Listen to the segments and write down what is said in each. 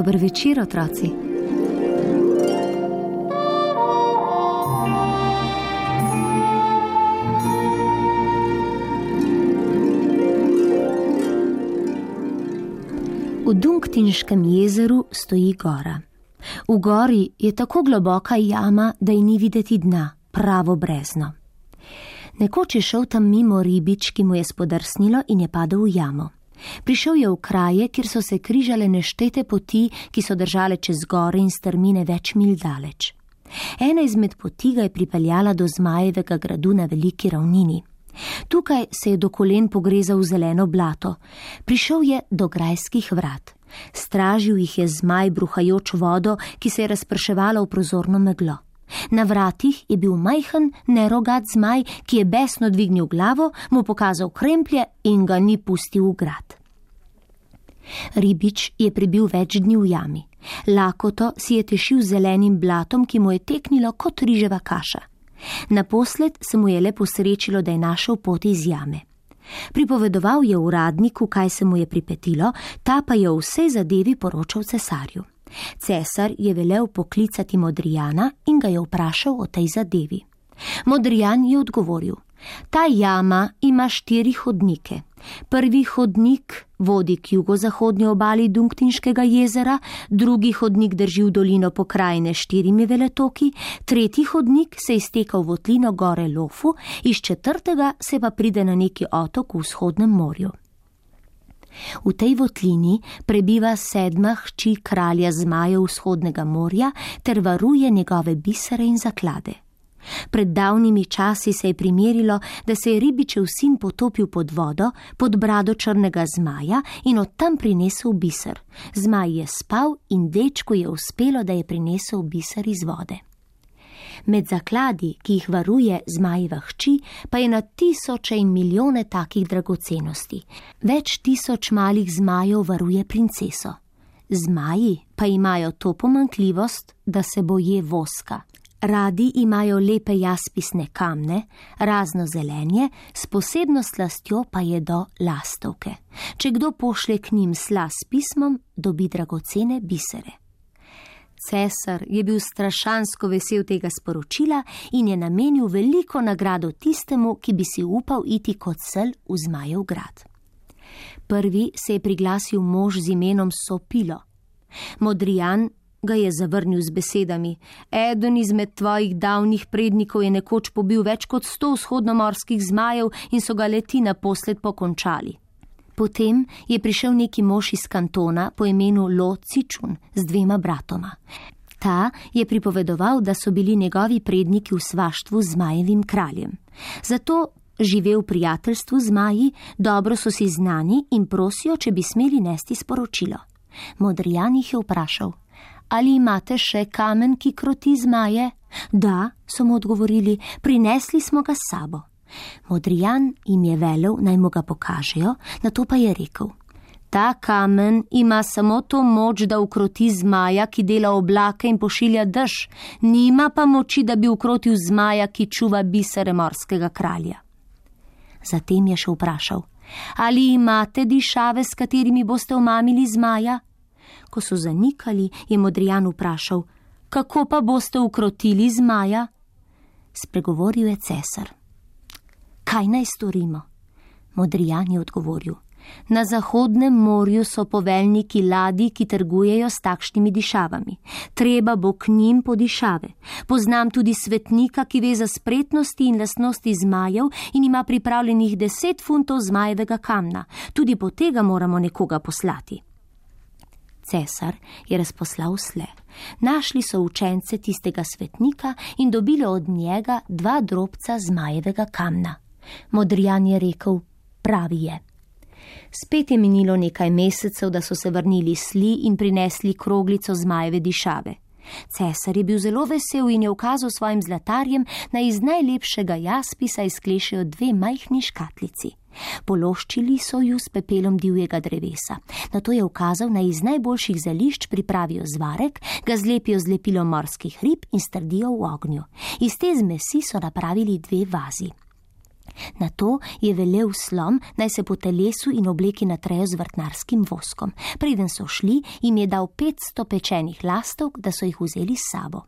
Dober večer, otroci. V Dungtinškem jezeru stoji gora. V gori je tako globoka jama, da ji ni videti dna, pravo brezno. Nekoč je šel tam mimo ribič, ki mu je spodrsnilo in je padel v jamo. Prišel je v kraje, kjer so se križale neštete poti, ki so držale čez gore in strmine več mil daleč. Ena izmed poti ga je pripeljala do Zmajevega gradu na veliki ravnini. Tukaj se je do kolen pogrezal v zeleno blato. Prišel je do grajskih vrat. Stražil jih je zmaj, bruhajoč vodo, ki se je razprševala v prozorno meglo. Na vratih je bil majhen, nerogat zmaj, ki je besno dvignil glavo, mu pokazal kremplje in ga ni pustil v grad. Ribič je prebil več dni v jami. Lakoto si je tešil zelenim blatom, ki mu je teknilo kot riževa kaša. Naposled se mu je le posrečilo, da je našel pot iz jame. Pripovedoval je uradniku, kaj se mu je pripetilo, ta pa je o vsej zadevi poročal cesarju. Cesar je velel poklicati Modrijana in ga je vprašal o tej zadevi. Modrijan je odgovoril: ta jama ima 4 hodnike. Prvi hodnik vodi k jugozahodnji obali Dungtinškega jezera, drugi hodnik drži v dolino pokrajine s 4 veletoki, tretji hodnik se izteka v votlino gore Lofu, iz 4. se pa pride na neki otok v vzhodnem morju. V tej votlini prebiva 7. hči kralja zmajev vzhodnega morja ter varuje njegove bisere in zaklade. Pred davnimi časi se je primerilo, da se je ribičev sin potopil pod vodo, pod brado črnega zmaja in od tam prinesel biser. Zmaj je spal in dečku je uspelo, da je prinesel biser iz vode. Med zakladi, ki jih varuje zmajeva hči, pa je na tisoče in milijone takih dragocenosti. Več tisoč malih zmajev varuje princeso. Zmaji pa imajo to pomanjkljivost, da se boje voska. Radi imajo lepe jaspisne kamne, razno zelenje, s posebno slastjo pa jedo lastovke. Če kdo pošlje k njim sla s pismom, dobi dragocene bisere. Cesar je bil strašansko vesel tega sporočila in je namenil veliko nagrado tistemu, ki bi si upal iti kot sel v Zmajev grad. Prvi se je priglasil mož z imenom Sopilo. Modrijan ga je zavrnil z besedami: eden izmed tvojih davnih prednikov je nekoč pobil več kot 100 vzhodnomorskih zmajev in so ga leti naposled pokončali. Potem je prišel neki mož iz kantona po imenu Lo Cičun z 2 bratoma. Ta je pripovedoval, da so bili njegovi predniki v svaštvu z zmajevim kraljem. Zato žive v prijateljstvu z zmaji, dobro so si znani in prosijo, če bi smeli nesti sporočilo. Modrijan jih je vprašal: ali imate še kamen, ki kroti zmaje? Da, so mu odgovorili, prinesli smo ga s sabo. Modrijan jim je velel, naj mu ga pokažejo, nato pa je rekel: ta kamen ima samo to moč, da ukroti zmaja, ki dela oblake in pošilja dež, nima pa moči, da bi ukrotil zmaja, ki čuva bisere morskega kralja. Zatem je še vprašal: ali imate dišave, s katerimi boste omamili zmaja? Ko so zanikali, je Modrijan vprašal: kako pa boste ukrotili zmaja? Spregovoril je cesar: kaj naj storimo? Modrijan je odgovoril: na Zahodnem morju so poveljniki ladij, ki trgujejo s takšnimi dišavami. Treba bo k njim po dišave. Poznam tudi svetnika, ki ve za spretnosti in lastnosti zmajev in ima pripravljenih 10 funtov zmajevega kamna. Tudi po tega moramo nekoga poslati. Cesar je razposlal sle. Našli so učence tistega svetnika in dobili od njega 2 drobca zmajevega kamna. Modrijan je rekel: pravi je. Spet je minilo nekaj mesecev, da so se vrnili sli in prinesli kroglico zmajeve dišave. Cesar je bil zelo vesel in je ukazal svojim zlatarjem, naj iz najlepšega jaspisa izklešejo 2 majhni škatlici. Pološčili so ju s pepelom divjega drevesa. Nato je ukazal, naj iz najboljših zelišč pripravijo zvarek, ga zlepijo z lepilom morskih rib in strdijo v ognju. Iz te zmesi so napravili 2 vazi. Nato je velel slon, naj se po telesu in obleki natrejo z vrtnarskim voskom. Preden so šli, jim je dal 500 pečenih lastovk, da so jih vzeli s sabo.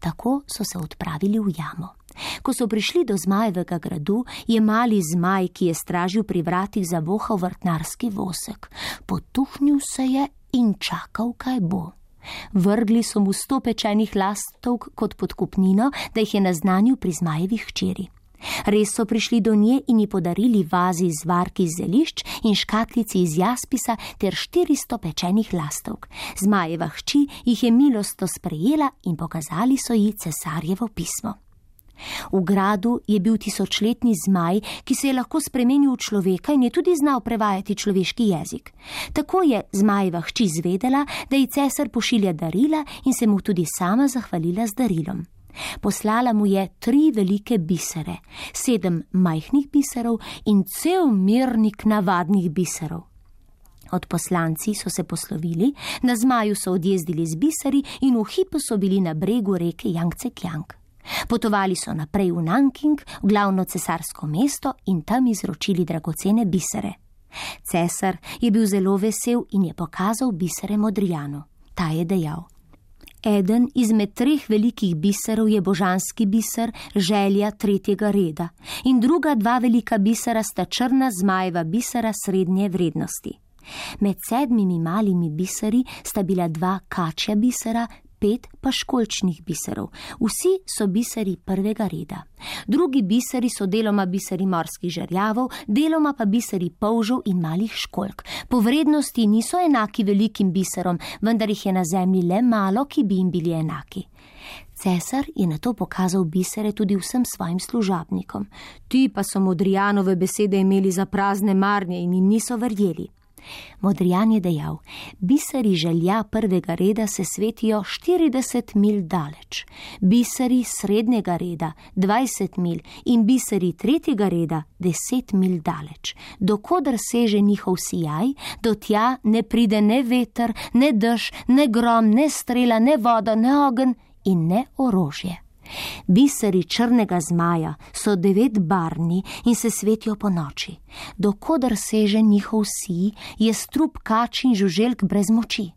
Tako so se odpravili v jamo. Ko so prišli do Zmajevega gradu, je mali zmaj, ki je stražil pri vratih, zavohal vrtnarski vosek. Potuhnil se je in čakal, kaj bo. Vrgli so mu 100 pečenih lastovk kot podkupnino, da jih je naznanil pri Zmajevih hčeri. Res so prišli do nje in ji podarili vazi z varki iz zelišč in škatlici iz jaspisa ter 400 pečenih lastovk. Zmajeva hči jih je milostno sprejela in pokazali so ji cesarjevo pismo. V gradu je bil tisočletni zmaj, ki se je lahko spremenil v človeka in je tudi znal prevajati človeški jezik. Tako je Zmajeva hči zvedela, da ji cesar pošilja darila in se mu tudi sama zahvalila z darilom. Poslala mu je 3 velike bisere, 7 majhnih biserov in cel mirnik navadnih biserov. Odposlanci so se poslovili, na zmaju so odjezdili z biseri in v hipu so bili na bregu reke Jangtse-Kjang. Potovali so naprej v Nanking, v glavno cesarsko mesto in tam izročili dragocene bisere. Cesar je bil zelo vesel in je pokazal bisere Modrijanu. Ta je dejal: Eden izmed 3 velikih biserov je božanski biser, želja 3. reda, in druga 2 velika bisera sta črna zmajeva bisera srednje vrednosti. Med 7 malimi biseri sta bila 2 kačja bisera, 5 pa školjčnih biserov. Vsi so biseri 1. reda. Drugi biseri so deloma biseri morskih žerjavov, deloma pa biseri polžev in malih školjk. Po vrednosti niso enaki velikim biserom, vendar jih je na zemlji le malo, ki bi jim bili enaki. Cesar je nato pokazal bisere tudi vsem svojim služabnikom. Ti pa so Modrijanove besede imeli za prazne marnje in jim niso verjeli. Modrijan je dejal: biseri želja 1. reda se svetijo 40 milj daleč, biseri srednjega reda 20 milj in biseri 3. reda 10 milj daleč. Dokoder seže njihov sijaj, do tja ne pride ne veter, ne dež, ne grom, ne strela, ne voda, ne ogenj in ne orožje. Biseri črnega zmaja so 9-barvni in se svetijo po noči. Dokoder seže njihov sij, je strup kač in žuželk brez moči.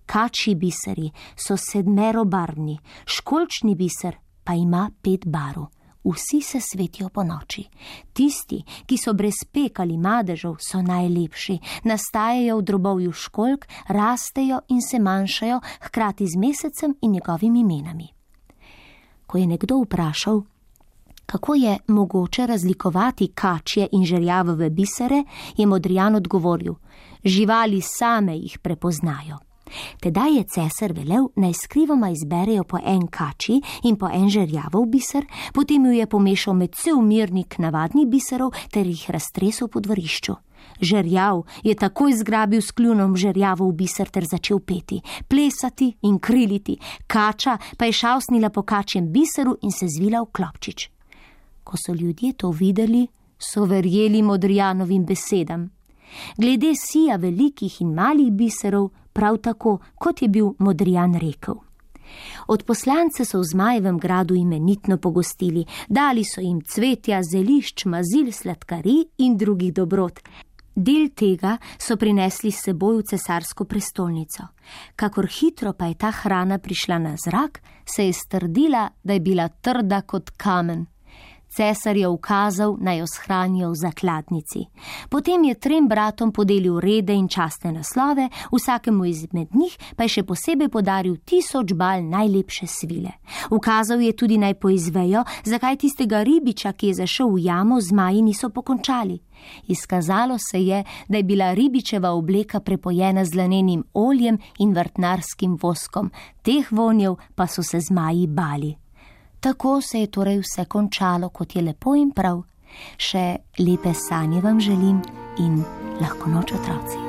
Kačji biseri so 7-barvni, školjčni biser pa ima 5 barv. Vsi se svetijo po noči. Tisti, ki so brez pek ali madežev, so najlepši, nastajajo v drobovju školjk, rastejo in se manjšajo, hkrati z mesecem in njegovimi imenami. Ko je nekdo vprašal, kako je mogoče razlikovati kačje in žerjavove bisere, je Modrijan odgovoril: živali same jih prepoznajo. Tedaj je cesar velel, naj skrivoma izberejo po en kačji in po en žerjavov biser, potem ju je pomešal med cel mirnik navadnih biserov ter jih raztresel po dvorišču. Žerjav je takoj zgrabil s kljunom žerjavov biser ter začel peti, plesati in kriliti, kača pa je šavsnila po kačjem biseru in se zvila v klopčič. Ko so ljudje to videli, so verjeli Modrijanovim besedam. Glede sija velikih in malih biserov, prav tako, kot je bil Modrijan rekel. Odposlance so v Zmajevem gradu imenitno pogostili, dali so jim cvetja, zelišč, mazil, sladkarij in drugih dobrot. Del tega so prinesli s seboj v cesarsko prestolnico. Kakor hitro pa je ta hrana prišla na zrak, se je strdila, da je bila trda kot kamen. Cesar je ukazal, naj jo shranijo v zakladnici. Potem je 3 bratom podelil rede in častne naslove, vsakemu izmed njih pa je še posebej podaril 1000 bal najlepše svile. Ukazal je tudi, naj poizvejo, zakaj tistega ribiča, ki je zašel v jamo, zmaji niso pokončali. Izkazalo se je, da je bila ribičeva obleka prepojena z lanenim oljem in vrtnarskim voskom, teh vonjev pa so se zmaji bali. Tako se je torej vse končalo, kot je lepo in prav. Še lepe sanje vam želim in lahko noč, otroci.